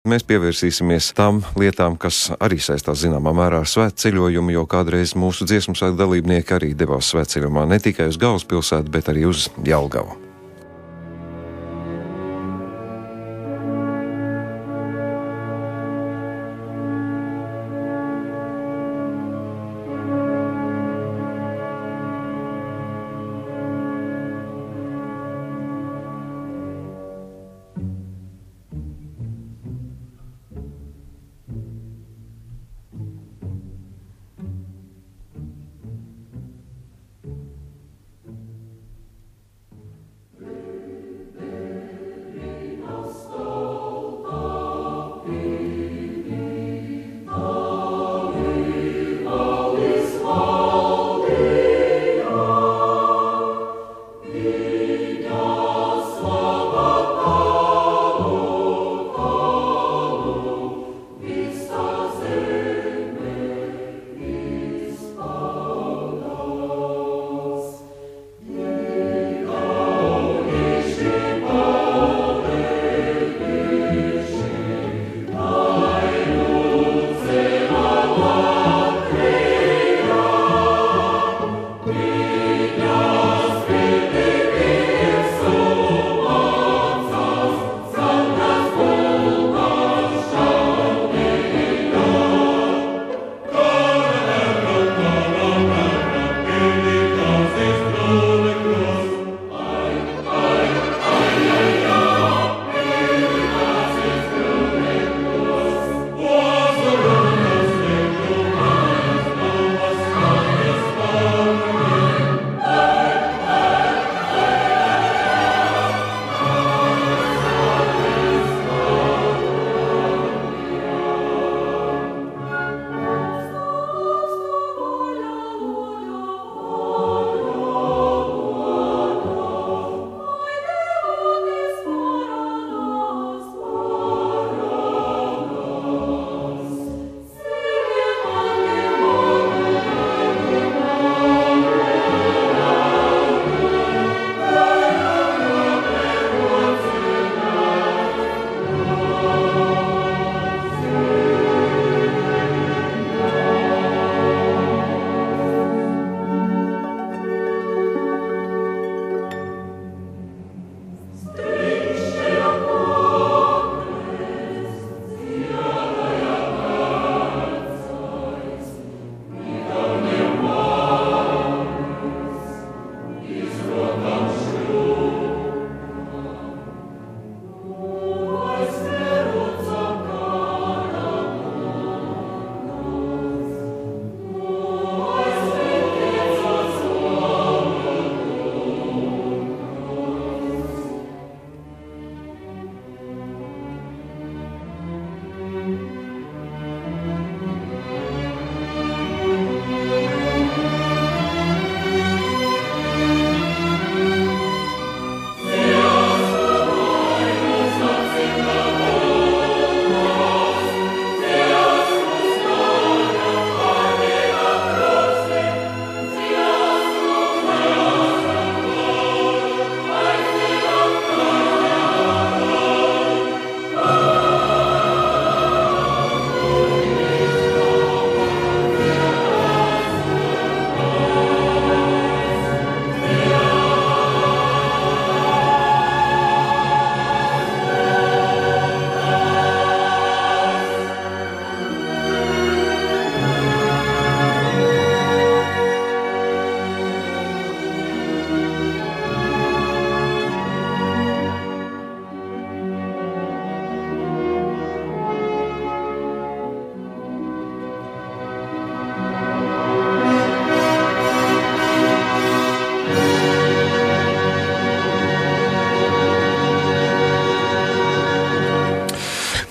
Mēs pievērsīsimies tām lietām, kas arī saistās zināmā mērā ar svētceļojumu, jo kādreiz mūsu dziesmu svētku dalībnieki arī devās svētceļojumā ne tikai uz galvaspilsētu, bet arī uz Jelgavu.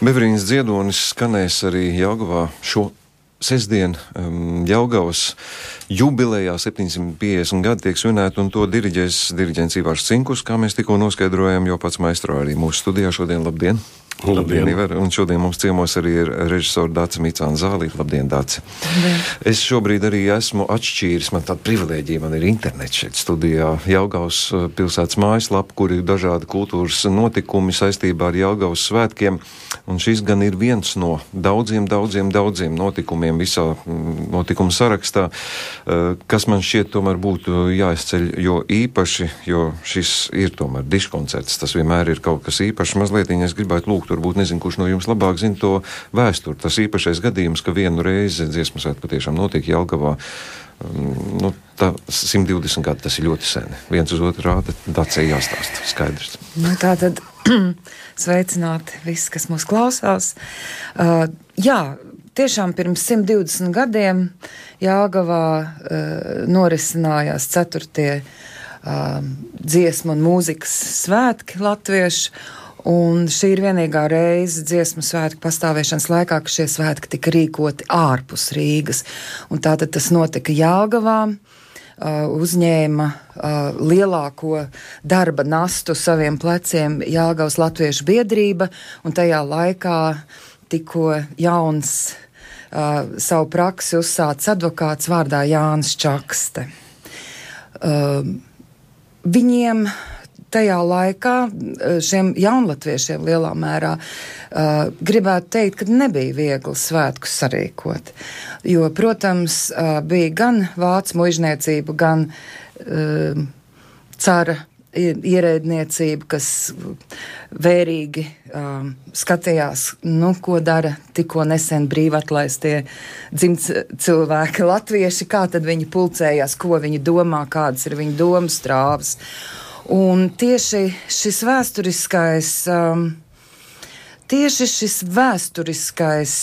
Beverīnas dziedonis skanēs arī Jelgavā šo sestdien. Jelgavas jubilejā 750 gadi tiek svinēti, un to diriģents Ivars Cinkus, kā mēs tikko noskaidrojam, jo pats maestro arī mūsu studijā šodien. Labdien! Labdien, Iver. Un šodien mums ciemos arī ir režisora Dace Micāna Zālīte. Labdien, Dace. Es šobrīd arī esmu atšķīris, man tāda privilēģija, man ir internets šeit studijā, Jelgavas pilsētas mājaslapa, kur ir dažādi kultūras notikumi saistībā ar Jelgavas svētkiem, un šis gan ir viens no daudziem notikumiem visā notikuma sarakstā, kas man šķiet tomēr būtu jāizceļ, jo īpaši, jo šis ir tomēr diškoncerts, tas vienmēr ir kaut kas īpašs, mazliet, es gribētu lūgt, varbūt nezinu, kurš no jums labāk zina to vēsturi. Tas īpašais gadījums, ka vienu reizi dziesmu svētki patiešām notiek Jelgavā, tā 120 gadi, tas ir ļoti seni. Viens uz otru rāda, Dacei jāstāsta, skaidrs. Tātad sveicināti visi, kas mūs klausās. Jā, tiešām pirms 120 gadiem Jelgavā norisinājās 4. dziesmu un mūzikas svētki latviešu. Un šī ir vienīgā reize dziesmu svētku pastāvēšanas laikā, ka šie svētki tika rīkoti ārpus Rīgas. Un tātad tas notika Jelgavā, uzņēma lielāko darba nastu saviem pleciem Jelgavas latviešu biedrība, un tajā laikā tikko jauns savu praksi uzsācis advokāts vārdā Jānis Čakste. Viņiem tajā laikā šiem jaunlatviešiem lielā mērā gribētu teikt, ka nebija viegli svētkus sarīkot. Jo, protams, bija gan vācu muižniecība, gan cara ierēdniecība, kas vērīgi skatījās, ko dara tikko nesen brīvi atlaistie dzimts cilvēki latvieši, kā tad viņi pulcējās, ko viņi domā, kādas ir viņu domas strāvas. Un tieši šis vēsturiskais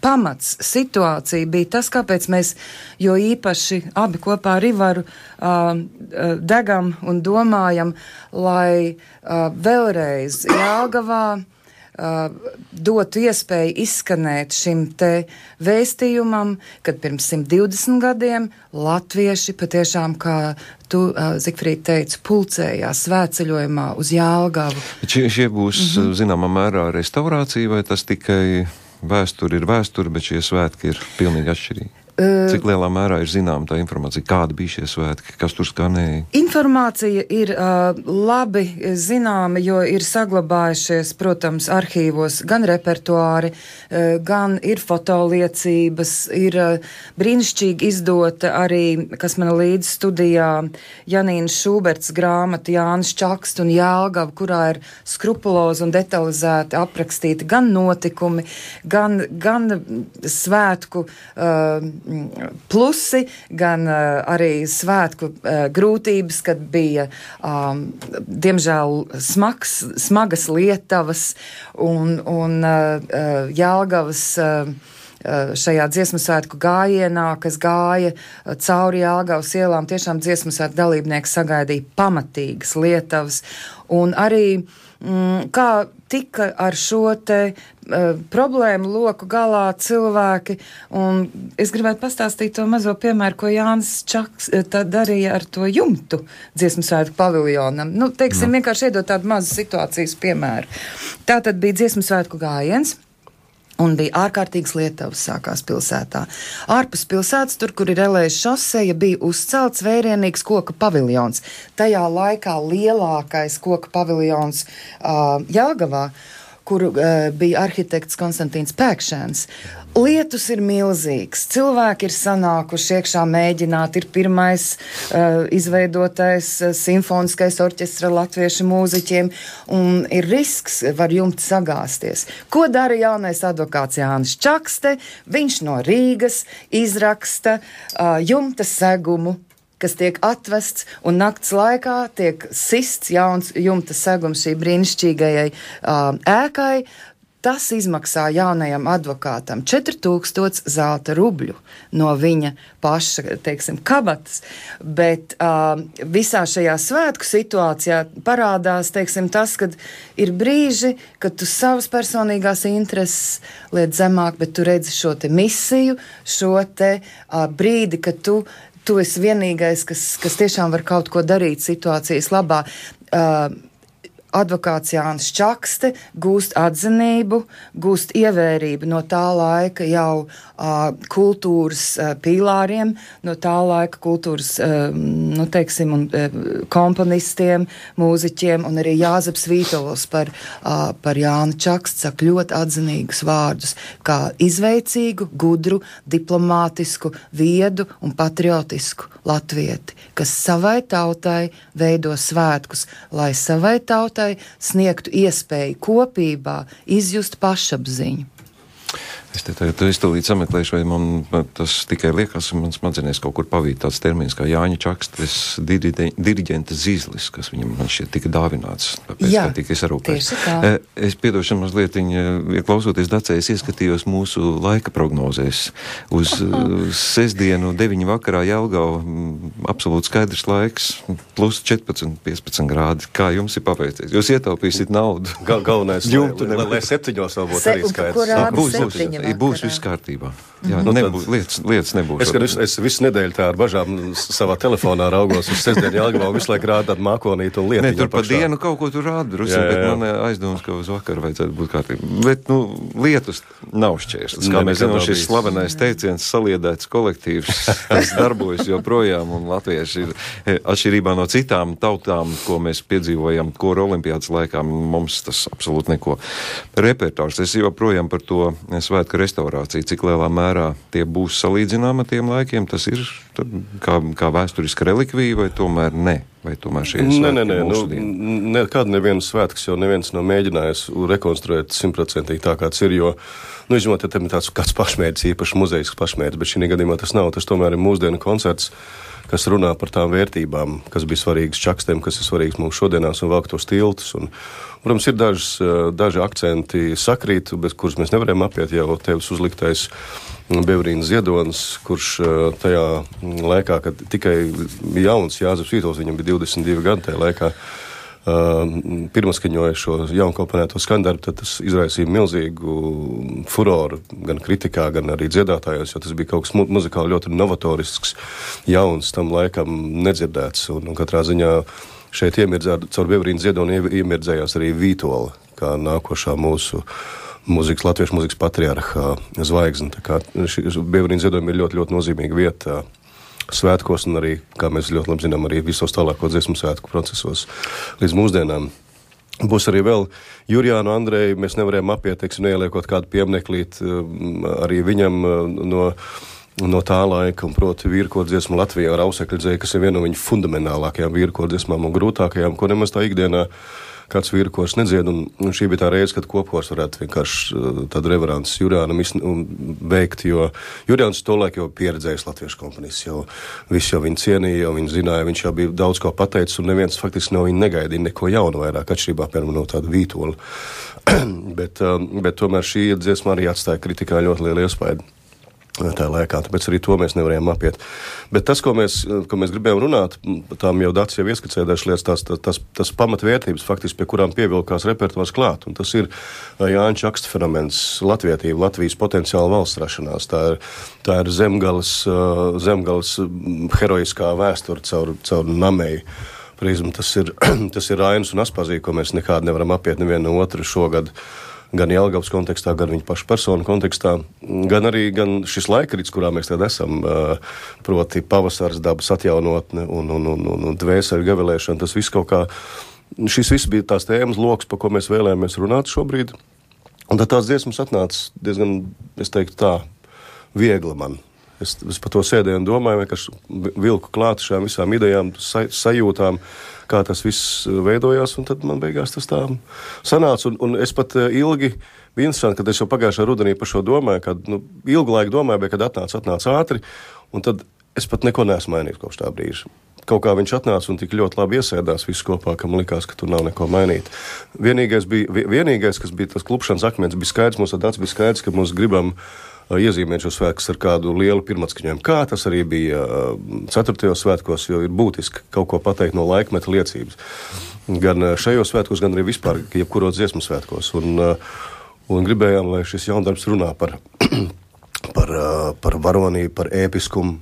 pamats situācija bija tas, kāpēc mēs jo īpaši abi kopā ar Ivaru degam un domājam, lai vēlreiz Jelgavā dotu iespēju izskanēt šim te vēstījumam, kad pirms 120 gadiem latvieši patiešām, kā tu, Zigfrīd, teici, pulcējās svētceļojumā uz Jelgavu. Šie būs, zināmā mērā, restaurācija, vai tas tikai vēsture ir vēsture, bet šie svētki ir pilnīgi atšķirīgi? Cik lielā mērā ir zināma tā informācija, kādi bija šie svētki, kas tur skanēja? Informācija ir labi zināma, jo ir saglabājušies, protams, arhīvos gan repertuāri, gan ir fotoliecības, ir brīnišķīgi izdota arī, kas man līdz studijā, Janīnas Šūberts grāmata Jānis Čakste un Jelgava, kurā ir skrupulozi un detalizēti aprakstīti gan notikumi, gan svētku plusi, gan arī svētku grūtības, kad bija, diemžēl, smagas lietavas un Jelgavas šajā dziesmu svētku gājienā, kas gāja cauri Jelgavas ielām, tiešām dziesmu svētku dalībnieki sagaidīja pamatīgas lietavas. Un arī kā tika ar šo te problēmu loku galā cilvēki, un es gribētu pastāstīt to mazo piemēru, ko Jānis Čaks darīja ar to jumtu dziesmu svētku paviljonam. Vienkārši iedot tādu mazu situācijas piemēru. Tā tad bija dziesmu svētku gājiens, un bija ārkārtīgas lietavas sākās pilsētā. Ārpus pilsētas, tur, kur ir Elējas šoseja, bija uzcelts vērienīgs koka paviljons. Tajā laikā lielākais koka paviljons Jelgavā, kuru bija arhitekts Konstantīns Pēkšēns. Lietus ir milzīgs, cilvēki ir sanākuši iekšā mēģināt, ir pirmais izveidotais simfoniskais orķestra latviešu mūziķiem, un ir risks, var jumti sagāsties. Ko dara jaunais advokāts Jānis Čakste? Viņš no Rīgas izraksta jumta segumu, kas tiek atvests, un nakts laikā tiek sists jauns jumta segums šī brīnišķīgajai ēkai. Tas izmaksā jaunajam advokātam 4000 zelta rubļu no viņa paša, kabatas, bet visā šajā svētku situācijā parādās, tas, kad ir brīži, kad tu savas personīgās intereses liet zemāk, bet tu redzi šo te misiju, šo te brīdi, kad tu esi vienīgais, kas tiešām var kaut ko darīt situācijas labā. advokāts Jānis Čakste gūst atzinību, gūst ievērību no tā laika jau kultūras pīlāriem, no tā laika kultūras, nu, teiksim, un komponistiem, mūziķiem, un arī Jāzeps Vītols par Jāni Čaksti saka ļoti atzinīgus vārdus, kā izveicīgu, gudru, diplomātisku, viedu un patriotisku latvieti, kas savai tautai veido svētkus, lai savai tautai sniegtu iespēju kopībā izjust pašapziņu. Es tūlīt sameklēšu, vai man tas tikai liekas, man smadzenēs kaut kur pavīt tāds termins kā Jāņa Čakstes diriģenta zīzlis, kas viņam man šķiet tika dāvināts, tāpēc, jā, ka tika sarūpēts. Tieši tā. Es piedošanu mazliet, klausoties Dacē, es ieskatījos mūsu laika prognozēs. Uz sestdienu 9 vakarā Jelgava absolūti skaidrs laiks, plus 14-15 grādi. Kā jums ir paveicies? Jūs ietaupīsiet naudu. Galvenais, lai 7 vēl būtu arī skaidrs. Būs viss kārtībā. Jā, lietas nebūs. Es visu nedēļu tā ar bažām savā telefonā raugos uz sestdienu Jelgavā, visu laiku rāda tādu mākonītu un lietiņu. Ne, tur pa dienu kaut ko tur rāda drusku, bet man aizdomas, ka uz vakaru vajadzētu būt kārtībā. Bet, lietus nav šķērstas. Kā mēs zinām, šis slavenais teiciens saliedēts kolektīvs, tas darbojas joprojām, un latvieši ir atšķirībā no citām tautām, ko mēs piedzīvojam kora olimpiādas laikā, mums tas absolūti neko. Repertārs, es joprojām par to svētku restaurāciju, cik lielā mērā tie būs salīdzināmi ar tiem laikiem, tas ir kā vēsturiska relikvija, vai tomēr ne? Vai tomēr šie svētki mūsu dienu? Nekad neviens svētks, jo neviens nav mēģinājis rekonstruēt 100% tā, kāds ir, jo, izņemot, ja tam ir tāds kāds pašmērķis, īpaši muzejisks pašmērķis, bet šī gadījumā tas nav, tas tomēr ir mūsdienu koncerts, kas runā par tām vērtībām, kas bija svarīgas Čakstiem, kas ir svarīgas mums šodienās un velk tos tiltus. Un, protams, ir daži akcenti sakrīt, bez kurus mēs nevarējām apiet, jau tevis uzliktais Beverīnas Ziedonis, kurš tajā laikā, kad tikai jauns Jāzeps Vītols, viņam bija 22 gadi tajā laikā, pirmaskaņoja šo jaunkomponēto skandarbu, tad tas izraisīja milzīgu furoru gan kritikā, gan arī dziedātājos, jo tas bija kaut kas muzikāli ļoti novatorisks, jauns, tam laikam nedzirdēts, un katrā ziņā šeit caur Beverīnas Ziedoni iemirdzējās arī Vītola, kā nākošā mūsu latviešu mūzikas patriarha zvaigzne. Tā kā Beverīnas Ziedoni ir ļoti, ļoti nozīmīga vieta svētkos un arī, kā mēs ļoti labi zinām, arī visos tālāko dziesmu svētku procesos līdz mūsdienām. Būs arī vēl Jurijānu Andreju, mēs nevarējām apiet, teiksim, neieliekot kādu piemneklīt arī viņam no tā laika, un proti vīrkodziesmu Latvijā ar Ausekļu dzēju, kas ir viena no viņa fundamentālākajām vīrkodziesmām un grūtākajām, ko nemaz tā ikdienā kāds vīrkors nedzied, un šī bija tā reize, kad kopkors varētu vienkārši tādu reverants Jurijānam veikt, jo Jurijāns tolaik jau pieredzējis latviešu komponists, jau viss jau viņu cienīja, jau viņu zināja, viņš jau bija daudz ko pateicis, un neviens faktiski no viņa negaidīja neko jaunu vairāk, atšķirībā, piemēram, no tādu Vītolu. bet tomēr šī dziesma arī atstāja kritikā ļoti lielu iespaidu tā laikā, tāpēc arī to mēs nevarējām apiet. Bet tas, ko mēs gribējām runāt, tām jau Dats jau ieskicējuši lietas, tas pamatvērtības faktiski, pie kurām pievilkās repertuārs klāt, un tas ir Jāņa Čaksta fenomens, latvietība, Latvijas potenciāla valsts rašanās. Tā ir zemgales heroiskā vēsture caur Nameju prizmu. Tas ir Rainis un Aspazī, ko mēs nekādi nevaram apiet nevienu no otru šogad, gan Jelgavas kontekstā, gan viņa paša personu kontekstā, gan šis laikrits, kurā mēs tad esam, proti pavasars, dabas atjaunotne un dvēseli gavilēšana, tas viss kaut kā, šis viss bija tās tēmas loks, pa ko mēs vēlējāmies runāt šobrīd, un tad tās dziesmas atnāca diezgan, es teiktu tā, viegli man. Es par to sēdēju un domāju, vienkārši vilku klāt šām visām idejām, sajūtām, kā tas viss veidojās, un tad man beigās tas tā sanāca. Un es pat ilgi bija interesanti, kad es jau pagājušā rudenī par šo domāju, kad ilgu laiku domāju, bet kad atnāca ātri, un tad es pat neko neesmu mainījis kopš tā brīža. Kaut kā viņš atnāca un tik ļoti labi iesēdās visu kopā, ka man likās, ka tur nav neko mainīt. Vienīgais, kas bija tas klupšanas akmens, bija skaidrs, mums tāds bija skaidrs, ka mums gribam iezīmēt šo svētkus ar kādu lielu pirmatskaņojumu. Kā tas arī bija 4. svētkos, jo ir būtiski kaut ko pateikt no laikmeta liecības. Gan šajos svētkos, gan arī vispār, jebkuros dziesmu svētkos. Un gribējām, lai šis jaundarbs runā par varonību, par ēpiskumu,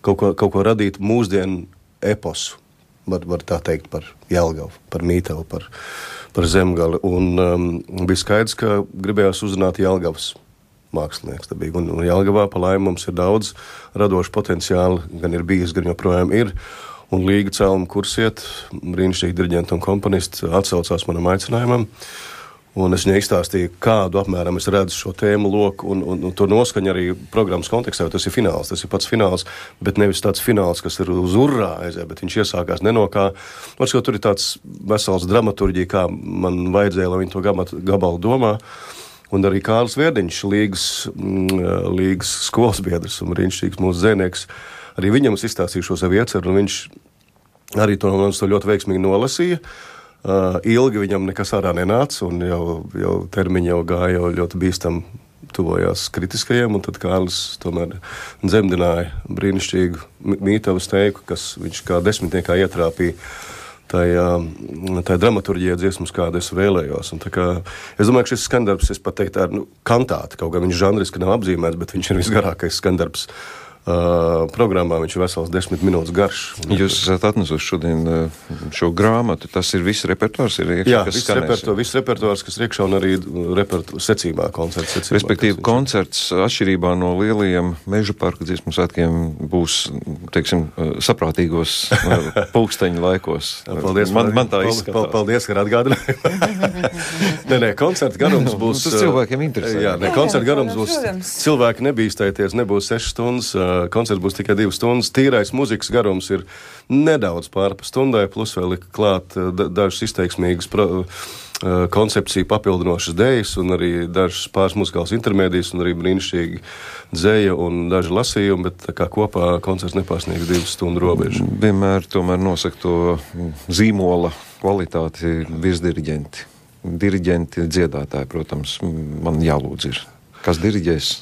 kaut ko radīt mūsdienu eposu, var tā teikt, par Jelgavu, par Mītavu, par par Zemgali. Un bija skaidrs, ka gribējās uzrunāt Jelgavas mākslinieks. Un Jelgavā pa laimi mums ir daudz radošu potenciālu, gan ir bijis, gan joprojām ir. Un Līga Celma Kursiet, brīnišķīgi diriģenti un komponisti, atsaucās manam aicinājumam. Un es viņai izstāstīju, kādu apmēram es redzu šo tēmu loku un to noskaņu arī programmas kontekstā, jo tas ir fināls, tas ir pats fināls, bet nevis tāds fināls, kas ir uz urrā aizē, bet viņš iesākās nenokā. Varbūt, ka tur ir tāds vesels dramaturģija, kā man vajadzēja, lai viņi to gabalu domā. Un arī Kārlis Vierdiņš, Līgas skolas biedrs un brīnišķīgs mūsu dzēnieks, arī viņam es izstāstīju šo savu ieceru, un viņš arī to ļoti veiksmīgi nolasīja. Ilgi viņam nekas ārā nenāca, un jau termiņi jau gāja ļoti bīstam tuvojās kritiskajiem, un tad Kārlis tomēr dzemdināja brīnišķīgu mītavas teiku, kas viņš kā desmitniekā ietrāpīja tajā dramaturģijā dziesmas, kādu es vēlējos. Un es domāju, ka šis skandarbs, es pat teiktu, ir kantāti, kaut gan viņš žanriski nav apzīmēts, bet viņš ir visgarākais skandarbs programmā, viņš ir vesels 10 minūtes garš. Jūs esat atnesuši šodien šo grāmatu, tas ir viss repertuārs, ir iekšā, Jā, viss repertuārs, kas ir iekšā un arī secībā, koncerts secībā. Respektīvi, koncerts atšķirībā no lielajiem Meža parka dziesmu svētkiem būs, teiksim, saprātīgos pulksteņu laikos. Paldies, man tā izskatās. Paldies, ka atgādināji. Nē, koncerta garums būs... Tas cilvēkiem interesē. Jā, koncerta garums būs... Cilvēki nebīstēties, nebūs 6 stundas, koncerts būs tikai 2 stundas. Tīrais muzikas garums ir nedaudz pārpa stundai, plus vēl ir klāt dažas izteiksmīgas koncepciju papildinošas dejas un arī dažas pāris muzikāls intermēdijas un arī brīnišķīgi dzeja un daži lasījumi, bet tā kā kopā koncerts nepārsniegs 2 stundu robežu. Vienmēr tomēr nosaka to zīmola kvalitāti virsdiriģenti. Diriģenti, dziedātāji, protams, man jālūdz ir. Kas diriģēs?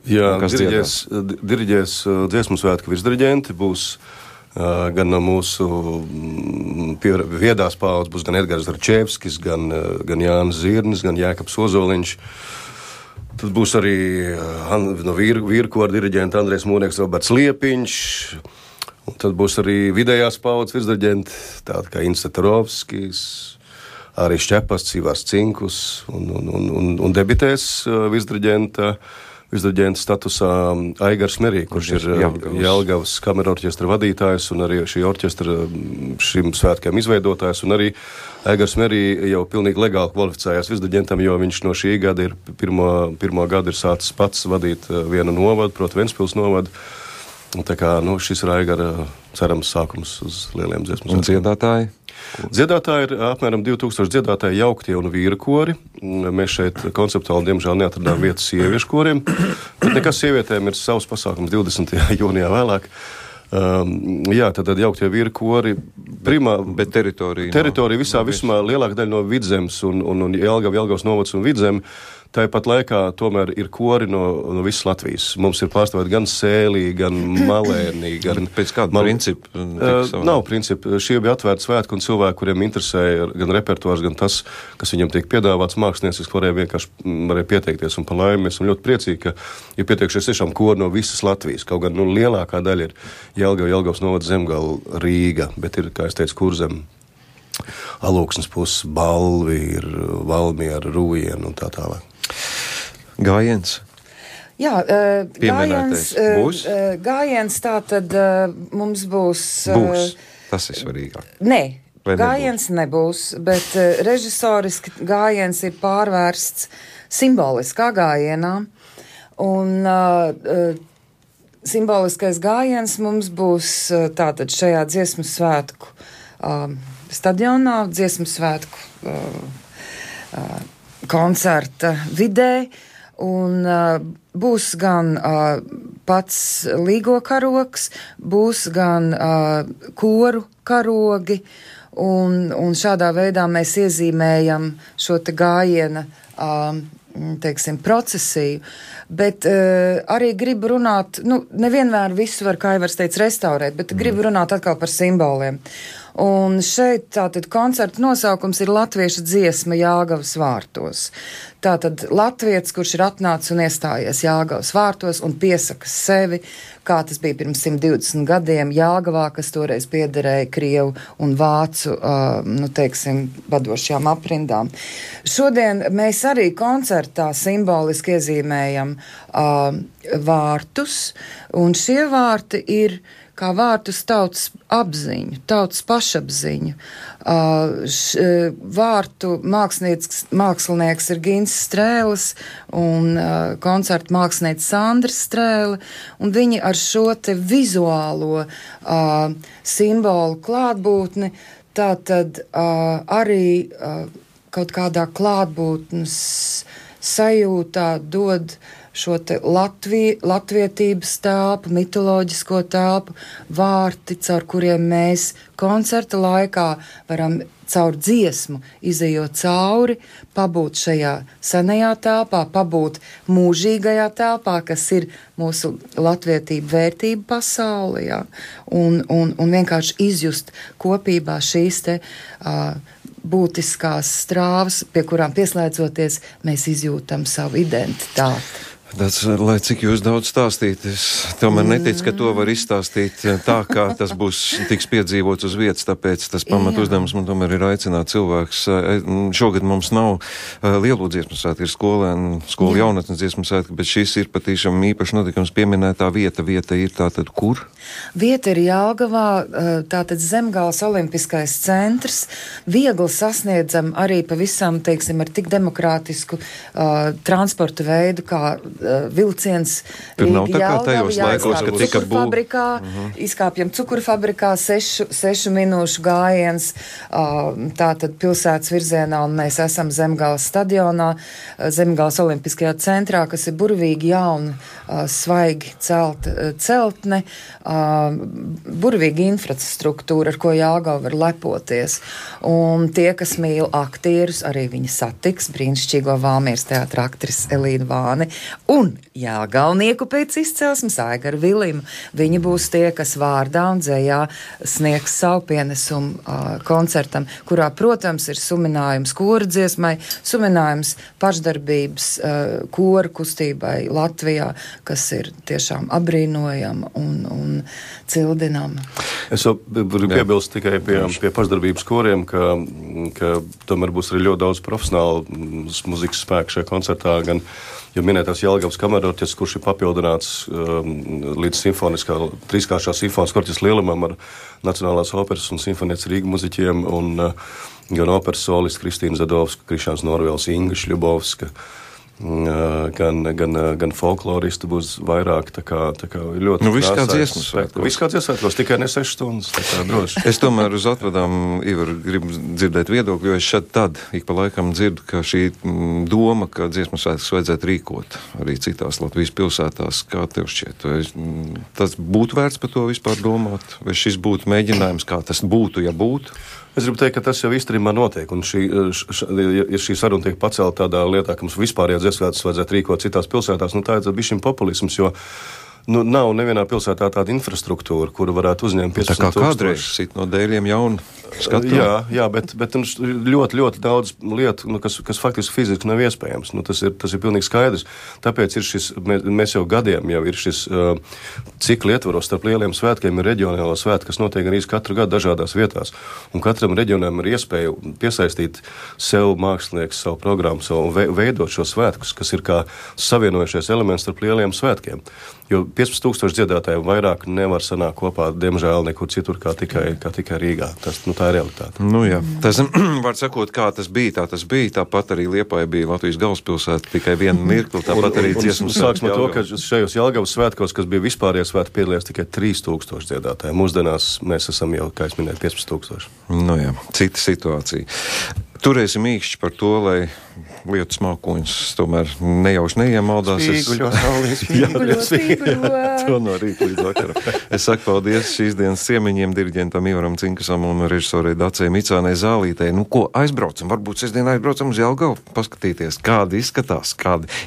Jā, diriģēs dziesmu svētku virsdiriģenti, būs gan no mūsu viedās paaudzes, būs gan Edgars Račevskis, gan Jānis Zirnis, gan Jēkabs Ozoliņš. Tad būs arī no vīrkora diriģenta Andrejs Mūrnieks, Roberts Liepiņš. Un tad būs arī vidējās paaudzes virsdiriģenti, tādi kā Inns Tatarovskis, arī Šķepasts, Ivars Cinkus un debitēs virsdiriģenta statusā Aigars Merī, kurš ir Jelgavas kamerorķestra vadītājs un arī šī orķestra šim svētkiem izveidotājs, un arī Aigars Merī jau pilnīgi legāli kvalificējās virsdiriģentam, jo viņš no šī gada pirmo gadu ir sācis pats vadīt vienu novadu, proti Ventspils novadu. Un tā kā, šis ir Aigara cerams sākums uz lieliem dziesmu svētkiem. Un dziedātāji? Dziedātāji ir apmēram 2000 dziedātāji jauktie un vīru kori. Mēs šeit konceptuāli, diemžēl, neatradām vietas sieviešu koriem, bet nekas sievietēm ir savs pasākums 20. jūnijā vēlāk. Jā, tad jauktie vīru kori bet teritorija vismā lielāka daļa no Vidzemes un Jelgavas novads un Vidzeme. Tāpat laikā tomēr ir kori no visas Latvijas. Mums ir pārstāvēt gan Sēlī, gan Malēnī, gan... Pēc kāda principa? Nav principa. Šie bija atvērti svētki un cilvēki, kuriem interesēja gan repertuārs, gan tas, kas viņam tiek piedāvāts mākslinieciski, varēja pieteikties. Un pa laimi mēs esam ļoti priecīgi, ka ir pieteikšies tiešām kori no visas Latvijas. Kaut gan lielākā daļa ir Jelgavas novads, Zemgala, Rīga, bet ir, kā es teicu, Kurzem, Alūksnes puses, Balvi, ir Valmiera, Rūjiena un tā tālāk. Gājiens? Jā, gājiens tā tad mums būs... Būs, tas ir svarīgāk. Nē, gājiens nebūs, bet režisoriski gājiens ir pārvērsts simboliskā gājienā, un simboliskais gājiens mums būs tātad šajā dziesmu svētku stadionā, dziesmu svētku koncerta vidē, un būs gan pats līgo karogs, būs gan koru karogi, un šādā veidā mēs iezīmējam šo te gājiena, teiksim, procesiju, bet arī gribu runāt, nevienmēr visu var, kā Aivars teica, restaurēt, bet gribu runāt atkal par simboliem. Un šeit tātad koncerta nosaukums ir Latviešu dziesma Jāgavas vārtos. Tātad latvietis, kurš ir atnācis un iestājies Jāgavas vārtos un piesaka sevi, kā tas bija pirms 120 gadiem Jāgavā, kas toreiz piederēja Krievu un Vācu, vadošajām aprindām. Šodien mēs arī koncertā simboliski iezīmējam vārtus, un šie vārti ir kā vārtus tautas apziņu, tautas pašapziņu. Vārtu mākslinieks ir Gins Strēlis un koncertu mākslinieks Sandra Strēle, un viņi ar šo te vizuālo simbolu klātbūtni tātad arī kaut kādā klātbūtnes sajūtā dod šo te latvietības telpu, mitoloģisko telpu, vārti, caur kuriem mēs koncerta laikā varam caur dziesmu izejot cauri, pabūt šajā senajā telpā, pabūt mūžīgajā telpā, kas ir mūsu latvietība vērtība pasaulē, ja? un vienkārši izjust kopībā šīs te būtiskās strāvas, pie kurām pieslēdzoties, mēs izjūtam savu identitāti. Tas, lai cik jūs daudz stādīt, es tomēr neticu, ka to var izstāstīt tā, kā tas tiks piedzīvots uz vietas, tāpēc tas pamat uzdevums man tomēr ir aicināt cilvēks. Šogad mums nav lielo dziesmu svētku, ir skolu jaunatnes dziesmu svētku, bet šis ir patīšām īpaši notikums pieminētā vieta. Vieta ir tātad kur? Vieta ir Jelgavā, tātad Zemgales olimpiskais centrs, viegli sasniedzam arī pavisam, teiksim, ar tik demokrātisku transporta veidu, kā vilciens Tur nav tā kā tajos laikos, kad tika fabrikā, izkāpjam cukurfabrikā, 6 minūšu gājiens, tātad pilsētas virzienā, un mēs esam Zemgales stadionā, Zemgales olimpiskajā centrā, kas ir burvīgi jauna, svaigi celtne, burvīgi infrastruktūra, ar ko Jāgava var lepoties. Un tie, kas mīl aktierus, arī viņi satiks brīnišķīgo Valmieras teātra aktrisi Elīnu Vāni un jāgalnieku pēc izcelsmes Aigaru Vilimu. Viņi būs tie, kas vārdā un dzējā sniegs savu pienesumu koncertam, kurā, protams, ir suminājums koru dziesmai, suminājums pašdarbības koru kustībai Latvijā, kas ir tiešām abrīnojama un cildinama. Es varu piebilst tikai pie pašdarbības koriem, ka tomēr būs arī ļoti daudz profesionālu muzikas spēku šajā koncertā, gan jo minētās Jelgavas kamerorķestris, kurš ir papildināts līdz trīskāršā simfoniskā orķestra lielumam ar Nacionālās operas un simfonietes Rīga muziķiem, un gan operas solists Kristīna Zadovska, Krišāns Norvēls, Inga Šļubovska, gan folkloristi būs vairāk, tā kā ļoti viss kā dziesmu svētkos. Viss kā dziesmu svētkos, tikai ne 6 stundas, tā kā droši. Es tomēr uz atvadām, Ivar, gribu dzirdēt viedokļu, jo es šad tad ik pa laikam dzirdu, ka šī doma, ka dziesmu svētkus vajadzētu rīkot arī citās Latvijas pilsētās, kā tev šķiet? Tas būtu vērts par to vispār domāt? Vai šis būtu mēģinājums, kā tas būtu, ja būtu? Es gribu teikt, ka tas jau īstenībā notiek, un šī saruna tiek pacelta tādā lietā, ka mums vispārējā dziesmu svētkus vajadzētu rīkot citās pilsētās, tā ir bišķiņ populisms, jo nav nevienā pilsētā tāda infrastruktūra, kuru varētu uzņemt 15 000. Tā kā kādreiz sit no dēļiem jaunu skatu? Jā, bet ļoti daudz lietu, kas faktiski fiziski nav iespējams. Tas ir pilnīgi skaidrs. Tāpēc ir mēs jau gadiem ir šis cikli ietvaros starp lieliem svētkiem ir reģionālā svētki, kas notiek arī katru gadu dažādās vietās. Un katram reģionam ir iespēja piesaistīt sev mākslinieks, savu programmu, veidot šo svētkus, kas ir kā savienojušies elements starp lieliem svētkiem. Jo 15 000 dziedātāju vairāk nevar sanākt kopā, diemžēl, nekur citur kā tikai Rīgā. Tā ir realitāte. Jā. Tas, var sakot, kā tas bija, tāpat arī Liepāja bija Latvijas galvaspilsēta, tikai vienu mirkli, tāpat arī dziesmu svētki. Sāksim ar to, ka šajos Jelgavas svētkos, kas bija vispārējie svētki, piedalījās tikai 3000 dziedātāji. Mūsdienās mēs esam jau, kā es minēju, 15 000. Jā, cita situācija. Turēsim īkšķi par to, lai lietas mākoņus tomēr nejauši neiemaldās. To no rīta līdz vakaram. Es saku paldies šīs dienas ciemiņiem, diriģentam Ivaram Cinkasam un režisorei Dacei Micānei Zālītei. Nu, ko aizbraucam? Varbūt sestdien aizbraucam uz Jelgavu, paskatīties, kādi izskatās,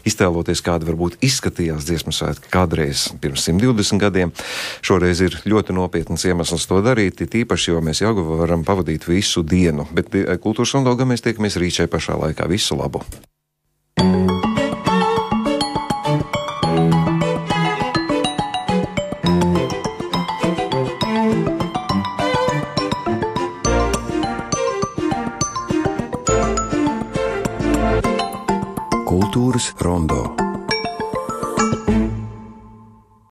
iztēloties, kādi varbūt izskatījās dziesmu svētki kādreiz pirms 120 gadiem. Šoreiz ir ļoti nopietns iemesls to darīt, tīpaši, jo mēs Jelgavu varam pavadīt visu dienu. Bet Kultūras Rondogā mēs tiekamies rīt šai pašā laikā. Visu labu! Kultūras Rondo.